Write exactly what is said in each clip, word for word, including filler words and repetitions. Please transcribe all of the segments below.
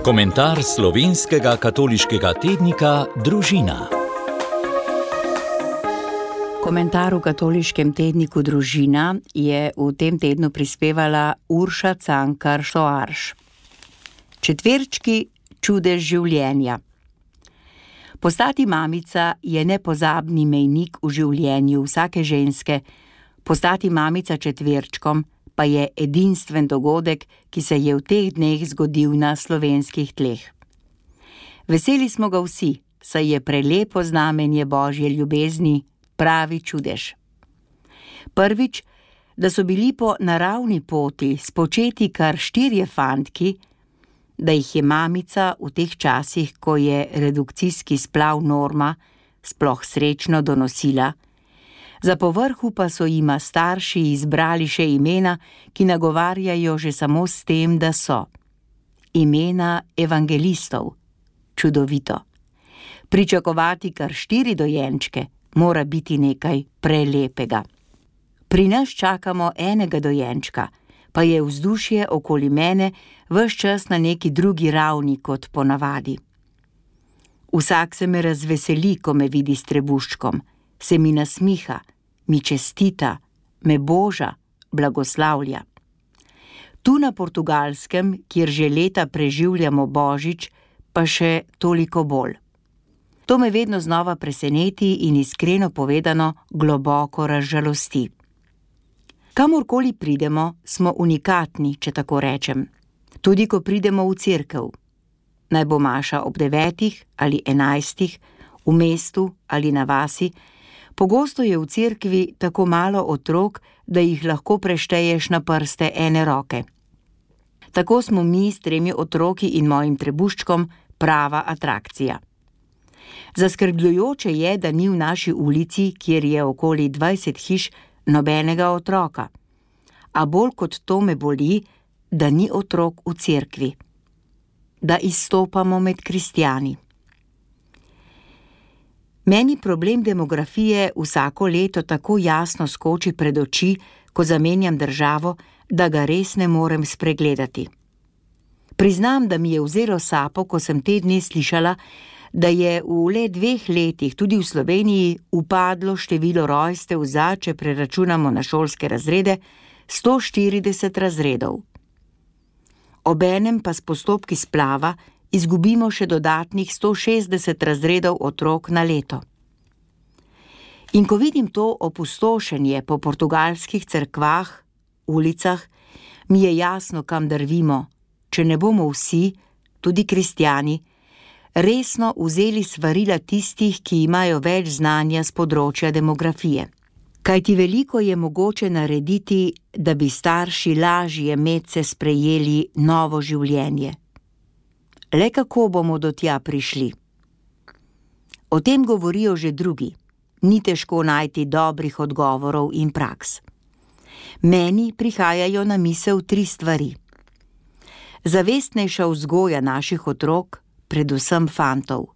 Komentar slovenskega katoliškega tednika Družina. Komentar v katoliškem tedniku Družina je v tem tednu prispevala Urša Cankar Soarš. Četverčki, čudež življenja. Postati mamica je nepozabni mejnik v življenju vsake ženske, postati mamica četverčkom pa je edinstven dogodek, ki se je v teh dneh zgodil na slovenskih tleh. Veseli smo ga vsi, saj je prelepo znamenje Božje ljubezni, pravi čudež. Prvič, da so bili po naravni poti spočeti kar štirje fantki, da jih je mamica v teh časih, ko je redukcijski splav norma, sploh srečno donosila, za povrhu pa so jima starši izbrali še imena, ki nagovarjajo že samo s tem, da so. Imena evangelistov. Čudovito. Pričakovati kar štiri dojenčke mora biti nekaj prelepega. Pri nas čakamo enega dojenčka, pa je vzdušje okoli mene ves čas na neki drugi ravni kot ponavadi. Vsak se me razveseli, ko me vidi s trebuščkom, se mi nasmiha, mi čestita, me boža, blagoslavlja. Tu na Portugalskem, kjer že leta preživljamo Božič, pa še toliko bolj. To me vedno znova preseneti in iskreno povedano globoko razžalosti. Kamorkoli pridemo, smo unikatni, če tako rečem. Tudi ko pridemo v cerkev. Naj bo maša ob devetih ali enajstih, v mestu ali na vasi, pogosto je v cerkvi tako malo otrok, da jih lahko prešteješ na prste ene roke. Tako smo mi s tremi otroki in mojim trebuščkom prava atrakcija. Zaskrbljujoče je, da ni v naši ulici, kjer je okoli dvajset hiš, nobenega otroka. A bolj kot to me boli, da ni otrok v cerkvi. Da izstopamo med kristjani. Meni problem demografije vsako leto tako jasno skoči pred oči, ko zamenjam državo, da ga res ne morem spregledati. Priznam, da mi je vzelo sapo, ko sem te dni slišala, da je v le dveh letih tudi v Sloveniji upadlo število rojstev za, če preračunamo na šolske razrede, sto štirideset razredov. Obenem pa s postopki splava izgubimo še dodatnih sto šestdeset razredov otrok na leto. In ko vidim to opustošenje po portugalskih cerkvah, ulicah, mi je jasno, kam drvimo, če ne bomo vsi, tudi kristjani, resno vzeli svarila tistih, ki imajo več znanja s področja demografije. Kajti veliko je mogoče narediti, da bi starši lažje medse sprejeli novo življenje. Le kako bomo do tja prišli? O tem govorijo že drugi. Ni težko najti dobrih odgovorov in praks. Meni prihajajo na misel tri stvari. Zavestnejša vzgoja naših otrok, predvsem fantov.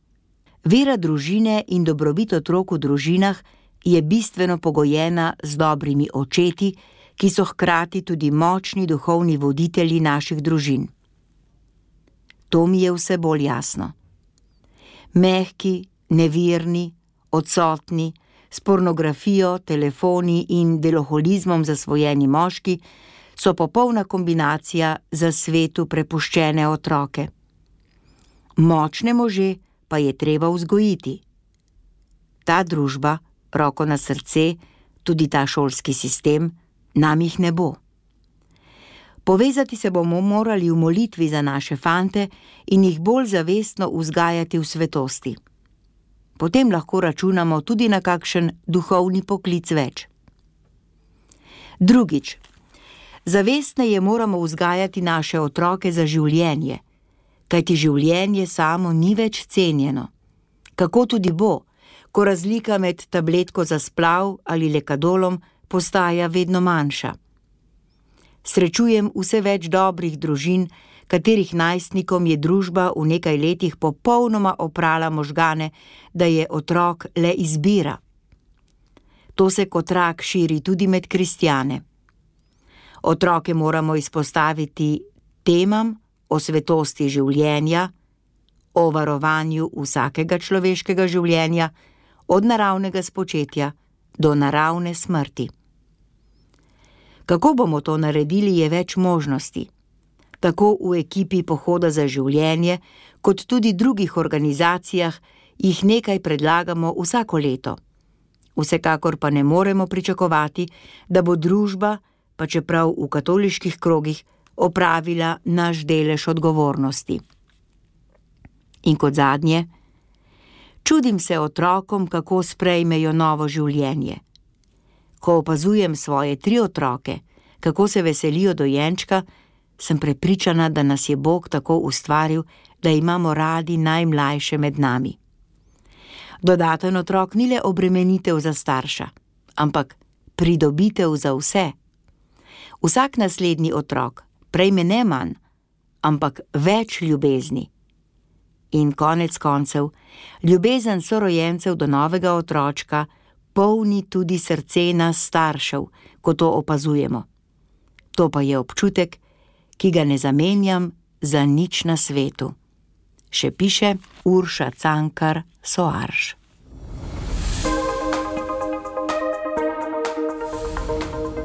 Vera družine in dobrobit otrok v družinah je bistveno pogojena z dobrimi očeti, ki so hkrati tudi močni duhovni voditelji naših družin. To mi je vse bolj jasno. Mehki, nevirni, odsotni, s pornografijo, telefoni in deloholizmom zasvojeni moški so popolna kombinacija za svetu prepuščene otroke. Močne može pa je treba vzgojiti. Ta družba, roko na srce, tudi ta šolski sistem, nam jih ne bo. Povezati se bomo morali v molitvi za naše fante in jih bolj zavestno vzgajati v svetosti. Potem lahko računamo tudi na kakšen duhovni poklic več. Drugič, zavestneje moramo vzgajati naše otroke za življenje, kajti življenje samo ni več cenjeno. Kako tudi bo, ko razlika med tabletko za splav ali lekadolom postaja vedno manjša. Srečujem vse več dobrih družin, katerih najstnikom je družba v nekaj letih popolnoma oprala možgane, da je otrok le izbira. To se kot rak širi tudi med kristjane. Otroke moramo izpostaviti temam, o svetosti življenja, o varovanju vsakega človeškega življenja, od naravnega spočetja do naravne smrti. Kako bomo to naredili, je več možnosti. Tako v ekipi Pohoda za življenje, kot tudi drugih organizacijah, jih nekaj predlagamo vsako leto. Vsekakor pa ne moremo pričakovati, da bo družba, pa čeprav v katoliških krogih, opravila naš delež odgovornosti. In kot zadnje, čudim se otrokom, kako sprejmejo novo življenje. Ko opazujem svoje tri otroke, kako se veselijo dojenčka, sem prepričana, da nas je Bog tako ustvaril, da imamo radi najmlajše med nami. Dodaten otrok ni le obremenitev za starša, ampak pridobitev za vse. Vsak naslednji otrok prejme ne manj, ampak več ljubezni. In konec koncev, ljubezen sorojencev do novega otročka polni tudi srce nas staršev, ko to opazujemo. To pa je občutek, ki ga ne zamenjam za nič na svetu. Še piše Urša Cankar Soarš.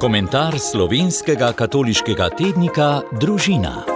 Komentar slovenskega katoliškega tednika Družina.